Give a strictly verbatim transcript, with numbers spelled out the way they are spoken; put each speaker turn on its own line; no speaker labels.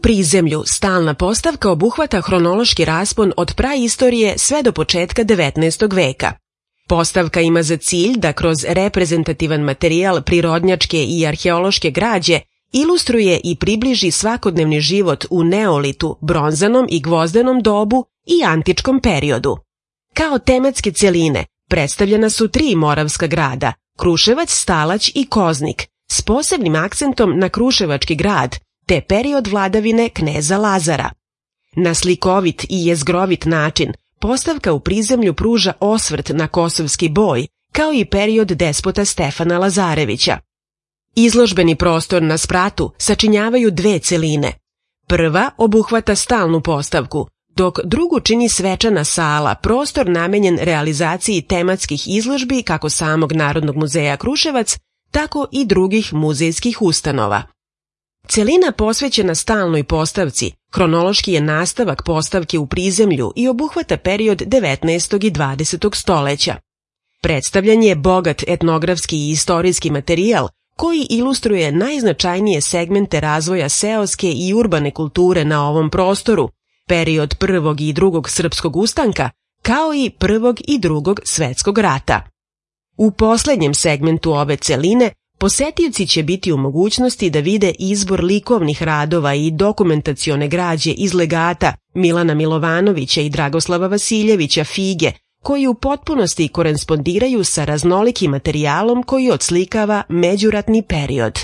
prizemlju stalna postavka obuhvata hronološki raspon od praistorije sve do početka devetnaestog veka. Postavka ima za cilj da kroz reprezentativan materijal prirodnjačke i arheološke građe ilustruje i približi svakodnevni život u neolitu, bronzanom i gvozdenom dobu i antičkom periodu. Kao tematske cjeline predstavljena su tri moravska grada, Kruševac, Stalać i Koznik, s posebnim akcentom na kruševački grad, te period vladavine kneza Lazara. Na slikovit i jezgrovit način postavka u prizemlju pruža osvrt na kosovski boj, kao i period despota Stefana Lazarevića. Izložbeni prostor na spratu sačinjavaju dve celine. Prva obuhvata stalnu postavku, dok drugu čini svečana sala, prostor namenjen realizaciji tematskih izložbi kako samog Narodnog muzeja Kruševac, tako i drugih muzejskih ustanova. Celina posvećena stalnoj postavci hronološki je nastavak postavke u prizemlju i obuhvata period devetnaestog i dvadesetog stoleća. Predstavljan je bogat etnografski i istorijski materijal koji ilustruje najznačajnije segmente razvoja seoske i urbane kulture na ovom prostoru, period prvog i drugog srpskog ustanka, kao i prvog i drugog svetskog rata. U poslednjem segmentu ove celine posetioci će biti u mogućnosti da vide izbor likovnih radova i dokumentacione građe iz legata Milana Milovanovića i Dragoslava Vasiljevića Fige, koji u potpunosti korespondiraju sa raznolikim materijalom koji odslikava međuratni period.